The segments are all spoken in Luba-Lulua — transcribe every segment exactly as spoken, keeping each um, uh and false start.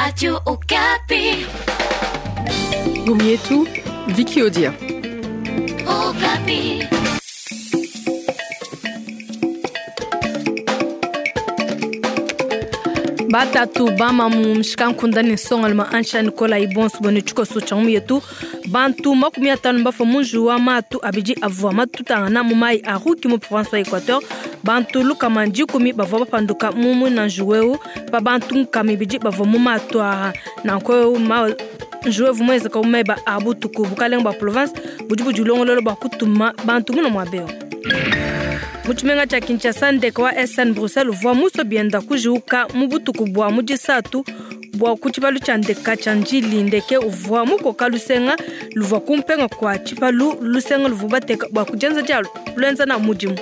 Radio Okapi. Ngumu yetu Vicky Odia. Okapi. Batatu bamamu mshikankunda ni nsongaluma ansha Nicola Ibonso bone tshikoso tsha ngumu yetu bantu makumi atanu mbafa munju wa matu abidi avua matutangana mu mai a Ruki mu province wa Equateur. Bantu lukama dikumi bavua bapanduka mu mwina njuweu pa bantu nkama ibidi bavua mu matu aha. Nanku ma njuwevu mwenzeka umeba a butuku bukalenga bua province budi budilongolola bua kutuma bantu muna muabeo. Mu tshimenga tshia Kinshasa, ndeke wa S N Bruxelles uvua muso bienda kujiuka mu butuku bua mu disatu bua ku tshipalu tshia ndeka tshia Ndjili. Ndeke uvua mukoka lusenga luvua kumpenga kua tshipalu, lusenga luvua bateka bua kudienza dia luenza na mudimu.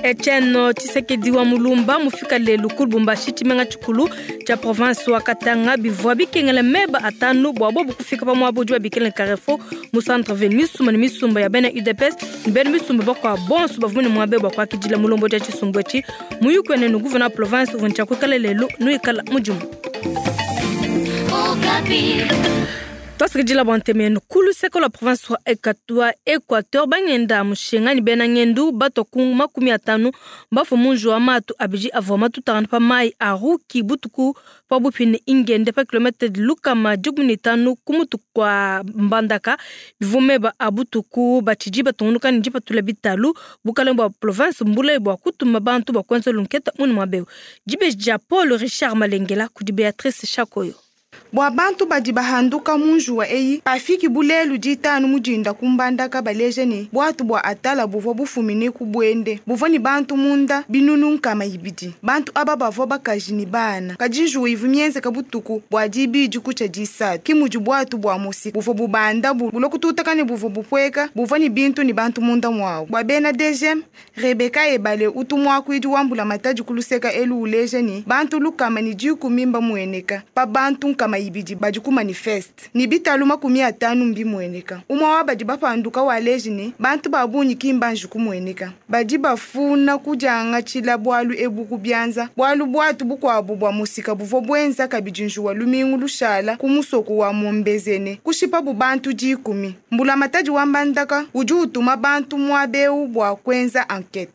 Etienne Tshisekedi wa Mulumba mufika lelu ku Lubumbashi, tshimenga tshikulu tshia province wa Katanga. Bivua bikengela meba atanu bua bobu kufika pa muaba udi babikila Carrefour mu centre ville. Misumba ne misumba ya bena U D P S ne bena misumba bakua bonso bavua ne muaba bua kuakidila mulombo dia tshisumbu etshi. Muyuki wene ne gouverneur province uvua ntshia kuikala lelu nuikala mudimu. Okapi. Twasikidila bua ntemenu ku luseke lua province wa Equateur, Equateur bangenda mushinga ne bena ngendu bato ku makumi atanu bafua munju wa matu abidi avua matutangana pa mai a Ruki butuku pa bupi ne ingende pa kilometre lukama dikumi ne tanu ku mutu kua Mbandaka. Bivua meba a butuku batshidi batungunuka ne dipatula bitalu. Bukalenga bua province mbulayi bua kutuma bantu bua kuenza lunketa munu muabeu. Dibeji dia Paul Richard Malengela kudi Beatrice Chakoyo. Bua bantu badi bahanduka mu njuwa eyi pafiki bulelu ditanu mudinda kumbandaka baleje ne bwatu bua atala buvua bufumine ku bwende buvua ni bantu munda binunu nkama ibidi. Bantu aba bavua bakaji ni bana kadi njuwa ivu mienzeka butuku bua dibidi kutsha disatu. Ki mudi bwatu bua musi buvua bubanda bu bulokututa ne buvua bupweka buvua ni bintu ni bantu munda mwawu. Bua bena D G M Rebecca Ebale utu mwakuidi wambula matadi kuluseka elu uleje ni bantu lukama ni dikumi mba mueneka pa bantu nkama ibidi badi ku manifeste ni bitalu makumi atanu mbi mueneka. Umwa wa badi bapanduka waleji ni bantu babunyi kimbanji kumueneka badi bafuna kujanga tshila bwalu ebu kubyanza bwalu bwatu bukwabu bwa musika buvua bwenza kabidi njuwa lumingu lushala ku musoko wa Mombezene kushipa bu bantu dikumi. Mbula matadi wa Mbandaka udi utuma bantu mwabeu bwa kwenza enquête.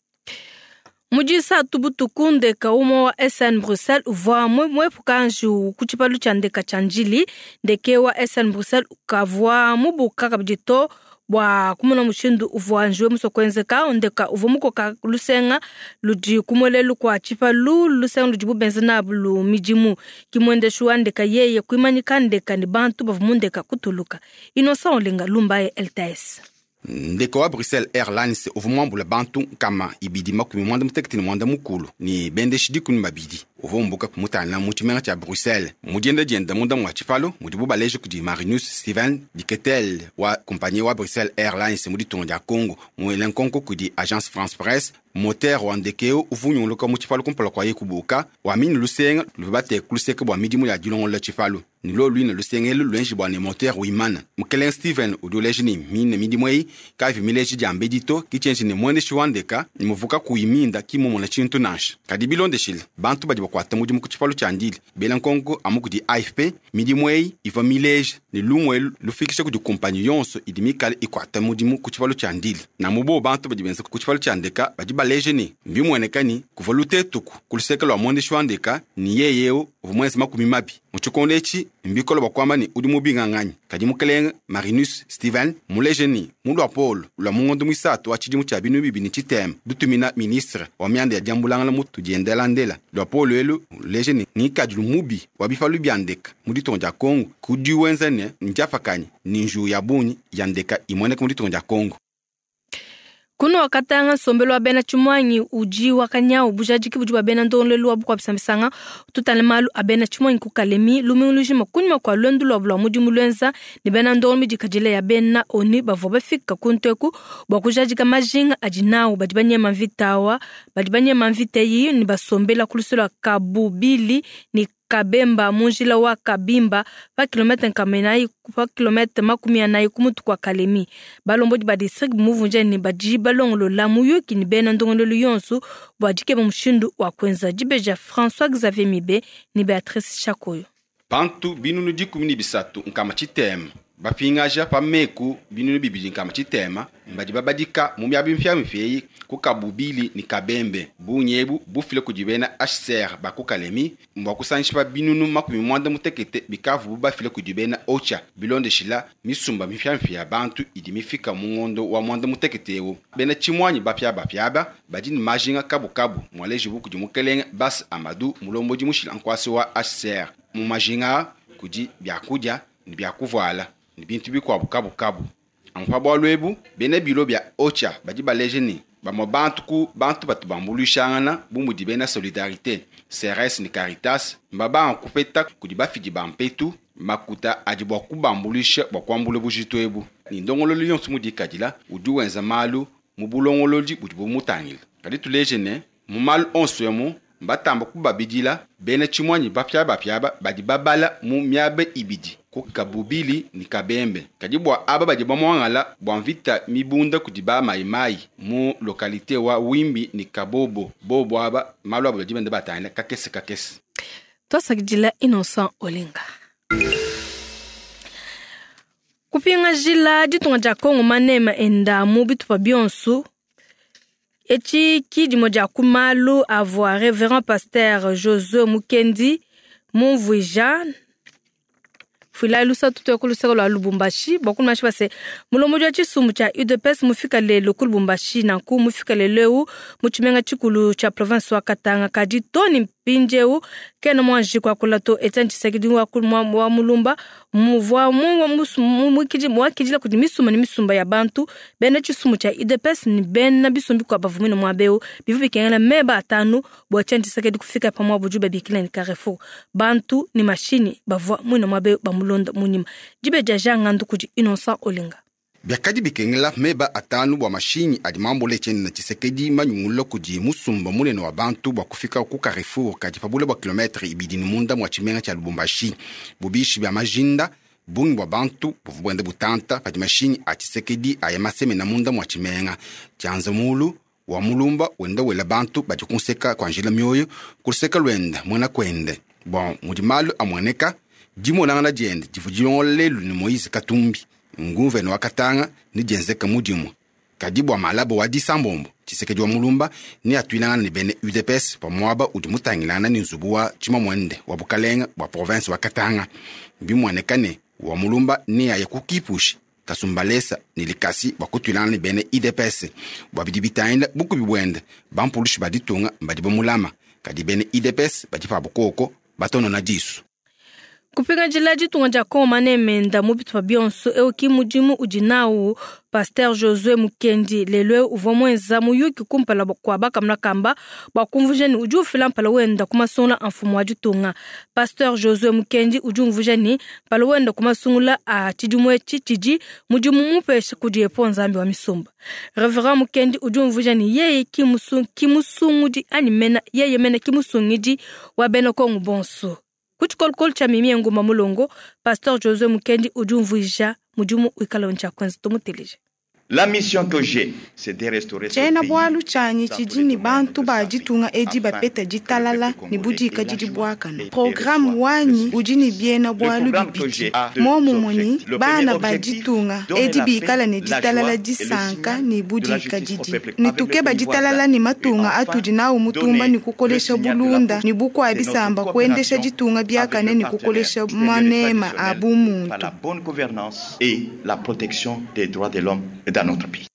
Mudisa tubutuku ndeka umwe wa S N Bruxelles uvua mwepuka nju ku tshipalu tshia ndeka tshia Ndjili. Ndeke wa S N Bruxelles ukavua mubuka kabidi to bua kumona mushindu uvua njuwe muso kuenzeka. Ndeka uvua mukoka lusenga ludi kumwelelu kua tshipalu, lusenga ludi bubenza nabu lu midimu. Kimwendeshu wa ndeka yeye kuimanyika ndeka ni bantu bavua mu ndeka kutuluka. Innocent Olenga Lumbaye L T S. Ndeko wa Bruxelles Airlines uvua muambula bantu nkama ibidi makumi mwanda mutekete ne mwanda mukulu ni bendeshi dikumi babidi. Uvua umbuka kumutangila mu tshimenga tshia Bruxelles. Mu dienda dienda munda mua tshipalu mudibu baleje kudi Marinus Steven Diketel wa compagnie wa Bruxelles Airlines mu ditunga dia Congo muele nkonko kudi Agence France Presse. Moteur wa ndekeo uvua unyunguluka mu tshipalu kumpala kua ye kubuka wamini lusenga luvua bateka ku luseke bua midimu ya dilongolola tshipalu. Ni lo luine lusenga elu luenji bua ne moteur wimana. Mukelenge Steven udi uleja ne mine midimu eyi kavi mileji dia mbedi to kitshienji ne muendeshi wa ndeka ni muvuka kuyiminda kimumona tshintu nansha. Kadi bilondeshile bantu badi bakuata mudimu ku tshipalu tshia Ndjili bela nkonko amu kudi A F P midimu eyi ivua mileji ne lumu elu lufikisha kudi kumpanyi yonso idi mikale ikuata mudimu ku tshipalu tshia Ndjili. Na mubo bantu badi benza ku tshipalu tshia ndeka badi baleje ne mbimueneka ni kuvua lutetuku ku luseke lua muendeshi wa ndeka ni yeyeu uvua muenze makumi mabi. Mu tshikondo etshi mbikolo bakwamba ni udi mubinganganyi. Kadi mukelenge Marinus Steven muleje ni mu lua Paul lua mungondo mwisatu wa tshidimu tshia binu bibi ni tshitema dutumina ministre wa mianda ya diambulangana mu tudiendela ndela. Lua Paul elu luleje ni ngikadilu mubi wa bipalu bia ndeka mu ditunga dia Congo kudi wenza ne ndiapakanyi ni nju ya bunyi ya ndeka imueneka mu ditunga dia Congo. Kuno wakatanga nsombelo wa bena tshimwanyi udi wakanyau bujadiki budi bua bena ndongolelu wa bukua bisambisanga tutale malu a bena tshimwanyi ku Kalemi lumingu lujima kunyima kua luendu lua lua mudimu luenza ne bena ndongolo midikadile ya bena ONU bavua bafika ku nteku bua kujadika majinga adi nawu badi banyema mvita awa badi banyema mvita eyi ne basombela ku lusolo lua Kabubili ne Kabemba mu njila wa Kabimba pa kilomètre nkama inayi pa kilomètre makumi anayi ku mutu kua Kalemi. Balombodi ba district bumuvunja ne badi balongolola muyuki ne bena ndongololu yonso bua dikeba mushindu wa kuenza. Dibeja François Xavier Mibe ne Beatrice Chakoyo. Bantu binunu dikumi ne bisatu nkama tshitema bapingaja pa meku binunu bibidi nkama tshitema mbadi babadika mu miaba mipyamipya eyi ku Kabubili ne Kabembe. Bungi ebu bufile kudi bena H C R ba ku Kalemi mbua kusangisha pa binunu makumi mwanda mutekete bikavu bafile kudi bena Ocha bilondeshila misumba mipyamipya ya bantu idi mifika mu ngondo wa mwanda mutekete ewu. Bena tshimwanyi bapya bapyaba badi ne majinga kabukabu mwalejibu kudi mukelenge Bas Amadou mulombodi mushila nkwasi wa H C R. Mu majinga kudi byakudia ne byakuvuala ne bintu bikuabu kabukabu. Ampa bualu ebu bena bilo bya Ocha badi baleje ne bamwe bantu ku bantu batu bambuluishangana bu mudi bena Solidarité, C R S ne Caritas mbabanga kupeta kudi bafidi ba mpetu makuta adi bua kubambuluisha bua kuambula bujitu ebu. Ni ndongololo yonso mudikadila udi wenza malu mu bulongolodi budi bumutangila. Kadi tuleje ne mu malu onso emu mbatamba kubabidila bena tshimwanyi bapya bapyaba badi babala mu miaba ibidi ku Kabubili ne Kabembe. Kadi bua aba badi bamwangala bua mvita mibunda kudi ba mayimayi mu lokalite wa Wimbi ne Kabobo bobo aba malu abo badi benda batangila kakese kakese. Twasakidila Innocent Olenga. Kupinga jila ditunga dia Kongo manema enda mu bitupa bionso. Eci kidimo dia kumalu avua Révérend Pasteur Josué Mukendi mumvuija fila lusa tutu ku luseko lwa Lubumbashi bokulu mashi base mulomo wa tshisumbu tshia U D P S mufika lelo ku Lubumbashi nanku mufika lelo mu tshimenga tshikulu tshia province wa Katanga kadi toni mpindieu kena mwanji kuakula to Etienne Tshisekedi wa wa mulumba muvua mu mwakidila kudi misumba ne misumba ya bantu bena tshisumbu tshia U D P S ni bena bisumbi kwa bavumina mwabeu bivu bikengela meba atanu bua Etienne Tshisekedi kufika pamwa buju babikila ni Carrefour bantu ni mashini bavua mwina mwabeu bamulonda munyima dibeja jangandu kudi Innocent Olenga. Biakadi bikengela meba atanu bua mashinyi adi mambule Etienne Tshisekedi manyungulula kudi musumba munene wa bantu bua kufika ku Carrefour kadi pabule bua kilometre ibidi ne munda mua tshimenga tshia Lubumbashi. Bubishi bia majinda bungi bua bantu buvua buenda butanta padi mashinyi a Tshisekedi aya masemena munda mua tshimenga. Tshianza mulu wa mulumba wenda wela bantu badi kunseka kwa njila mioyo kuluseka lwenda muena kuende. Bon mudi malu amueneka dimonangana diende divua dilongola lelu ne Moïse Katumbi nguvene wa Katanga ni dienzeka mudimu. Kadi bua malabo wa disambombo Tshisekedi wa mulumba ni atuilangana ne bene U D P S pa muaba udi mutangilangana ne nzubu wa tshimamwende wa bukalenga bua province wa Katanga. Bimueneka ne wa mulumba ni aye kukipushi Kasumbalesa ni likasi bua kutuilangana ne bene I D P S bua bidi bitangila bukubi buende bampulushi baditunga mbadi bamulama kadi bene I D P S badi pa bukoko batonona disu. Kupinga jila ditunga dia Kongo manemenda mu bitupa bionso euki mudimu udi nawu Pasteur Josué Mukendi lelo uvua muenza muyuki kumpala kua bakamuna kamba bua kumvuija ne udi ufila mpala wenda ku masungula a mfumu wa ditunga. Pasteur Josué Mukendi udi umvuija ne mpala wenda ku masungula a tshidimu etshi tshidi mudimu mupesha kudi epo Nzambi wa misumba. Reverend Mukendi udi umvuija ne yeye ki musungudi anyi mena yeye mena ki musungidi wa bena Kongo bonso. Kuchikolokolo cha mimi nguma mulongo Pasteur Josué Mukendi udi umvuija mudimu wikala ncha kwanza tumuteleje. La mission que j'ai, c'est de restaurer ce Tshiena pays. bualu tshianyi tshidi ne bantu ba ditunga edi bapeta ditalala ne budika didi buakana. Programme wanyi udi ne biena bualu bibidi. Momumue ni bana ba ditunga edi bikala ne ditalala disanka ne budika didi. Ne tukeba ditalala ne matunga atudi nawu mutumba ne kukolesha bulunda ne bukua bisamba kuendesha ditunga biakane ne kukolesha manema a bumuntu. Par la bonne gouvernance et la protection des droits de l'homme dans notre pays.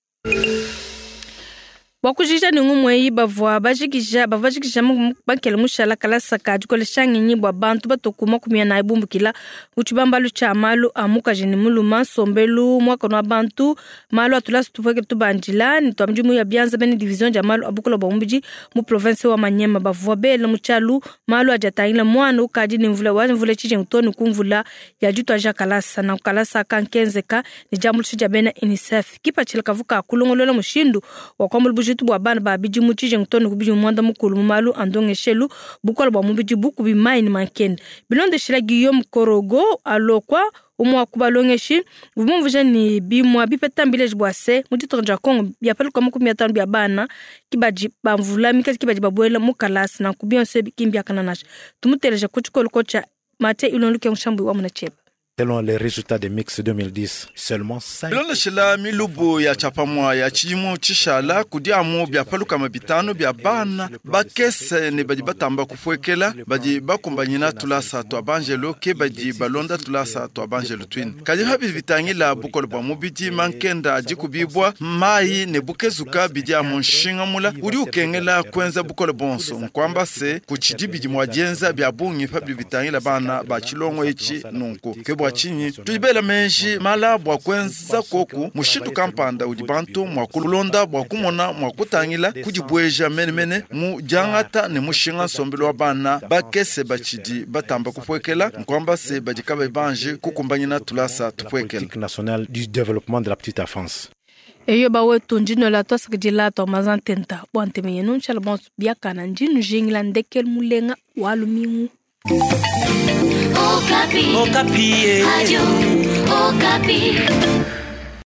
Bwakujija ni ngumwe bavua bajikija bavajikija bakele mushala kalasa ka dikolesha ngenyi bua bantu batokuma kumia na ibumbukila utshibambalu tshia malu a mukaji ne muluma nsombelu mwakano wa bantu malu atulasa tupweke tubandila ne twamdimu ya bianza bene division dia malu abukola bua mubidi mu province wa Manyema bavua bele mutshalu malu adiatangila mwana ukadi ne mvula wa mvula tshijingu toni kumvula ya ditwaja kalasa na kalasa kankenzeka ne diambuluisha dia bena UNICEF kipatshila kavuka kulongolola mushindu wa kwambula Bujitu bua bana ba bidimu tshijengu too ne ku bidimu muanda mukulu mu malu a ndongeshelu, bukole bua mubidi, bukubi, mayi ne mankenda. Bilondeshila Guillaume Korogo Alokwa, umwe wa ku balongeshi, bumumvuija ne bimua bipeta mbileji bua se mu ditunga dia Congo biapaluka makumi atanu bia bana ke badi bamvula mikazi ke badi babuela mu kalasa, nanku bionso ebi ki mbiakana nansha. Tumuteleja ku tshikoloko tshia Mathieu Ilon Lukengo Shambu wa muna tshieba. Selon les résultats des mix deux mille dix, seulement cinq Bilondeshela milubu ya tshapamua ya tshidimu tshishala kudi amu biapalukama bitanu bia bana bakese ne badi batamba kupuekela badi bakumbanyina tulasa tua banjelo ke badi balonda tulasa tua banjelo twine. Kadi pabi bitangila bukole bua mubidi mankenda adi kubibwa mayi ne bukezuka bidi amu nshinga mula udi ukengela kwenza bukole bonso nkwamba se ku tshidi bidi mua dienza bia bungi pabi bitangila bana ba tshilongo etshi nunku ke bua tshinyi tudi menji mala bua kwenza koku mushindu kampanda udi bantu mua kulonda bua kumona mua kutangila kudibweja menemene mu diangata ne mushinga nsombelu wa bana bakese batshidi batamba kupuekela nkwamba se badi kabayi banji kukumbanyina tulasa tupuekela. Nationale du développement de la petite enfance. Eyo bawetu ndino la twasakidila twa mazantenta bua nteme yenu nshala bonso biakana ndinu jingila ndekelu mulenga wa lumingu. Okapi. Okapi. Radio Okapi.